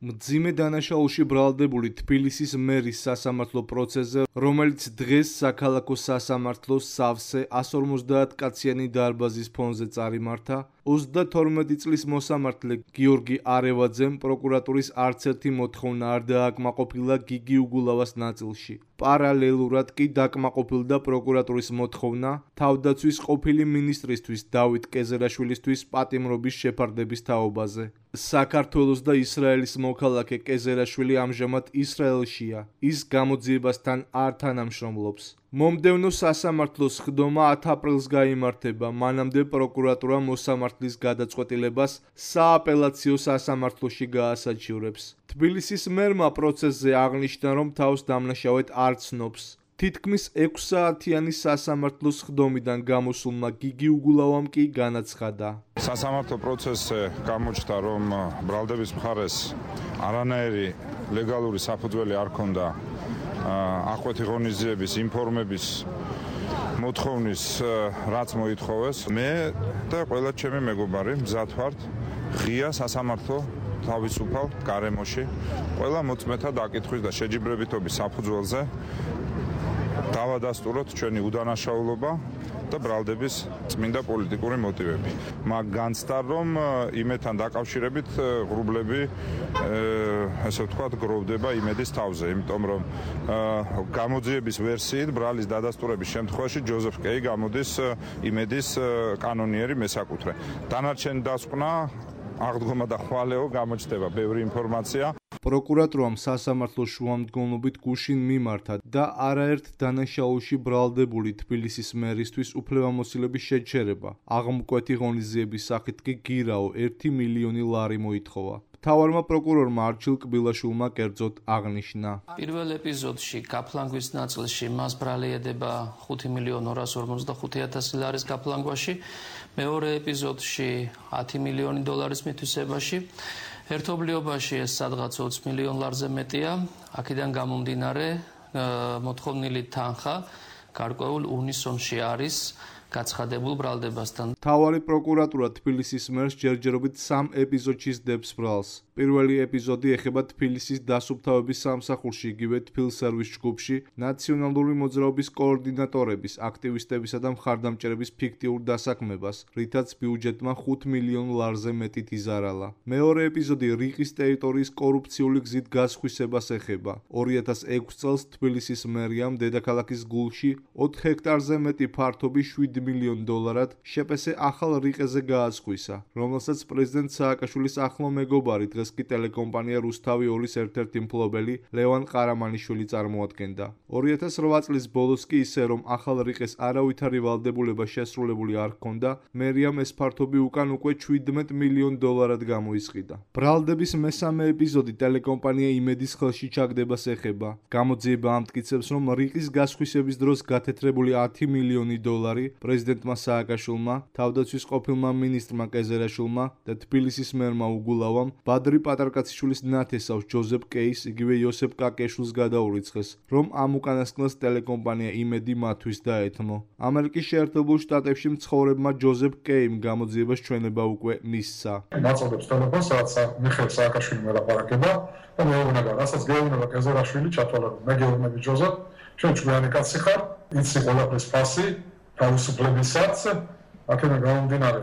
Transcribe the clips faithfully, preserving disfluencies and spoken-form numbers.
მძიმე დანაშაულში ბრალდებული თბილისის მერის სასამართლო პროცესზე, რომელიც დღეს საქალაქო სასამართლოს სავსე εκατს ორმოცდაათ კაციანი დარბაზის ფონზე წარიმართა, ოცდათორმეტი წლის მოსამართლე გიორგი არევაძემ პროკურატურის არც ერთი მოთხოვნა არ დააკმაყოფილა გიგი უგულავას ნაწილში. პარალელურად კი დაკმაყოფილდა პროკურატურის მოთხოვნა თავდაცვის ყოფილი მინისტრისთვის დავით კეზერაშვილისთვის პატიმრობის შეფარდების თაობაზე. საქართველოს და ისრაელის მოქალაქე კეზერაშვილი ამჟამად ისრაელშია. ის გამოძიებასთან არ თანამშრომლობს. მომდევნო სასამართლოს ხდომა ათ აპრილს გაიმართება, მანამდე პროკურატურა მოსამართლის გადაწყვეტილებას სააპელაციო სასამართლოში გაასაჩივრებს. თბილისის მერმა პროცესზე აღნიშნა, რომ თავს დამნაშავედ არ ცნობს. თითქმის ექვსსაათიანი სასამართლოს ხდომიდან გამოსულმა გიგი უგულავამ კი განაცხადა. სასამართლო პროცესზე გამოჩნდა, რომ ბრალდების მხარეს არანაირი ლეგალური საფუძველი არ ჰქონდა ახვეთი ღონისძიების ინფორმების მოთხოვნის რაც მოითხოვეს. მე და ყველა ჩემი მეგობარი მზად ვართ ღია სასამართლო თავისუფალ გარემოში ყველა მოწმეთა დაკითხვის და შეჯიბრებითობის საფუძველზე დავადასტუროთ ჩვენი უდანაშაულობა და ბრალდების წმინდა პოლიტიკური მოტივები. მაგ განცდა, რომ იმედთან დაკავშირებით ღრუბლები, ესე ვთქვათ, გროვდება იმედის თავზე, იმიტომ რომ გამოძიების ვერსიით ბრალის დადასტურების შემთხვევაში ჯოზეფ კეი გამოდის იმედის კანონიერი მესაკუთრე. დანარჩენი დასკვნა, აღდგომა და ხვალეო გამოჩნდება ბევრი ინფორმაცია. პროკურატურამ სასამართლოს შუამდგომლობით გუშინ მიმართა და არაერთ დანაშაულში ბრალდებული თბილისის მერისთვის უფლებამოსილების შეჩერება. აღმკვეთი ღონისძიების სახით კი გირაო ერთი მილიონი ლარი მოითხოვა. მთავარმა პროკურორმა არჩილ კბილაშვილმა კერძოდ აღნიშნა. პირველ ეპიზოდში გაფლანგვის ნაწილში მას ბრალი ედება ხუთი მილიონი ორას ორმოცდახუთი ათასი ლარის გაფლანგვაში, მეორე ეპიზოდში ათი მილიონი დოლარის მითვისებაში. ერთობლიობაში ეს სადღაც ოცი მილიონი ლარზე მეტია. აქედან გამომდინარე მოთხოვნილი თანხა გარკვეულ უნისონში არის გაცხადებულ ბრალდებასთან. მთავარი პროკურატურა თბილისის მერს ჯერჯერობით სამ ეპიზოდში სდებს ბრალს. პირველი ეპიზოდი ეხება თბილისის დასუფთავების სამსახურში, იგივე თბილსერვის ჯგუფში ნაციონალური მოძრაობის კოორდინატორების, აქტივისტებისა და მხარდამჭერების ფიქტიურ დასაქმებას, რითაც ბიუჯეტმა ხუთ მილიონ ლარზე მეტით იზარალა. მეორე ეპიზოდი რიყის ტერიტორიის კორუფციული გზით გასხვისებას ეხება. ორი ათას ექვსი წელს თბილისის მერიამ დედაქალაქის გულში ოთხ ჰექტარზე მეტი ფართობი შვიდ მილიონ დოლარად შეპესე ახალ რიყეზე გაასხვისა, რომელსაც პრეზიდენტ სააკაშვილის ახლო მეგობარი, დღეს კი ტელეკომპანია რუსთავი ორის ერთ-ერთი მფლობელი ლევან ყარამანიშვილი წარმოადგენდა. ორი ათას რვა წლის ბოლოს კი ისე, რომ ახალ რიყეს არავითარი ვალდებულება შესრულებული არ ჰქონდა, მერიამ ეს ფართობი უკან უკვე შვიდმეტ მილიონ დოლარად გამოისყიდა. ბრალდების მესამე ეპიზოდი ტელეკომპანია იმედის ხელში ჩაგდებას ეხება. გამოძიება ამტკიცებს, რომ რიყის გასხვისების დროს გათეთრებული ათი მილიონი დოლარი პრეზიდენტმა სააკაშვილმა, თავდაცვის ყოფილმა მინისტრმა კეზერაშვილმა და თბილისის მერმა უგულავამ ბადრი პატარკაციშვილის ნათესავს ჯოზეფ კეის, იგივე იოსებ კაკეშვილს გადაურიცხეს, რომ ამ უკანასკნელს ტელეკომპანია იმედი მათთვის დაეთმო. ამერიკის შეერთებულ შტატებში მცხოვრებმა ჯოზეფ კეიმ გამოძიებას ჩვენება უკვე მისცა. მაწოდებს ტელეფონს, სადაც მიხეილ სააკაშვილი მელაპარაკება და მეუბნება, რასაც გეუბნება კეზერაშვილი, ჩათვალე, მე გეუბნები ჯოზეფ, ჩვენ ჭკვიანი კაცი ხარ, იცი ყველაფრის ფასი, თავისუფლებისაც, აქედან გამომდინარე,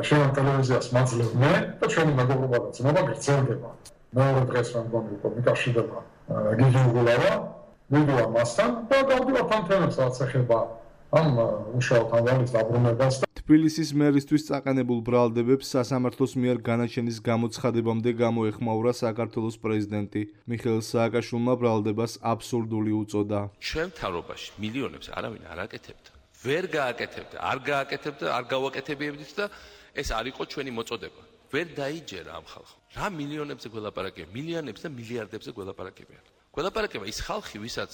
შენ ტელევიზიას მაძლევ მე და ჩვენი მეგობრობა და ძმობა გრძელდება. მეორე დღეს მე მგონი უკვე მიკავშირდება გიგი უგულავა, მივიდა მასთან და გავდივართ ამ თემებს, რაც ეხება ამ უშუალოდ ამბავის დაბრუნებას. თბილისის მერისთვის წაყენებულ ბრალდებებს სასამართლოს მიერ განაჩენის გამოცხადებამდე გამოეხმაურა საქართველოს პრეზიდენტი. მიხეილ სააკაშვილმა ბრალდებას აბსურდული უწოდა. ჩვენ მთავრობაში მილიონებს არავინ არ აკეთებდა. ვერ გააკეთებდა, არ გააკეთებდა, არ გავაკეთებიებდით და ეს არ იყო ჩვენი მოწოდება. ვერ დაიჯერა ამ ხალხს. რა მილიონებზე გველაპარაკებია, მილიონებზე და მილიარდებზე გველაპარაკებია. გველაპარაკება ის ხალხი, ვისაც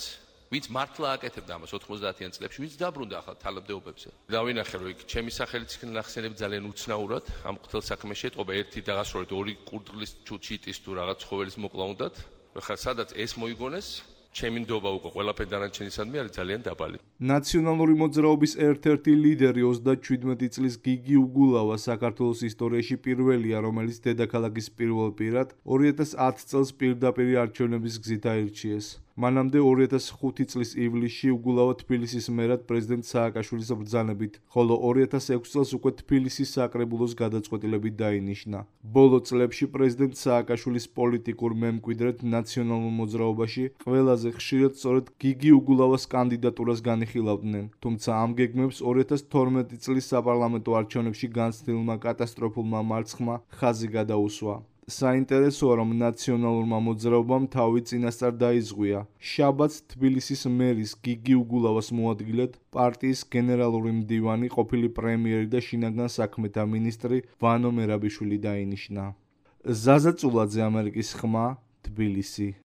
ვინც მართლა აკეთებდა ამას ოთხმოცდაათიან წლებში, ვინც დაბრუნდა ახალ თალობდეობებზე. დავინახე, რომ იქ ჩემი სახელიც იქნა ნახსენები ძალიან უცნაურად, ამ ყოფილ საქმეში ეტყობა ერთი დაღასრულეთ ორი კურდღლის ჩიტის თუ რაღაც ცხოველის მოკლა უნდათ. ხა სადაც ეს მოიგონეს, ჩემი ნდობა უკვე ყველაფერი დანარჩენისადმი არის ძალიან დაბალი. ნაციონალური მოძრაობის ერთ-ერთი ლიდერი ოცდაშვიდმეტი წლის გიგი უგულავა საქართველოს ისტორიაში პირველია, რომელიც დედაქალაქის პირველ პირად ორი ათას ათი წელს პირდაპირ არჩევნების გზით აირჩიეს. მანამდე ორი ათას ხუთი წლის ივლისში უგულავა თბილისის მერად პრეზიდენტ სააკაშვილის ბრძანებით, ხოლო ორი ათას ექვსი წელს უკვე თბილისის საკრებულოს გადაწყვეტილებით დაინიშნა. ბოლო წლებში პრეზიდენტ სააკაშვილის პოლიტიკურ მემკვიდრედ ნაციონალურ მოძრაობაში ყველაზე ხშირად სწორედ გიგი უგულავას კანდიდატურას განიხილავდნენ, თუმცა ამ გეგმებს ორი ათას თორმეტი წლის საპარლამენტო არჩევნებში განცდილმა კატასტროფულმა მარცხმა ხაზი გადაუსვა. საინტერესოა, რომ ნაციონალურმა მოძრაობამ თავი წინასწარ დაიზღვია. შაბათს თბილისის მერის გიგი უგულავას მოადგილედ პარტიის გენერალური მდივანი, ყოფილი პრემიერი და შინაგან საქმეთა მინისტრი ვანო მერაბიშვილი დაინიშნა. ზაზა წულაძე, ამერიკის ხმა, თბილისი.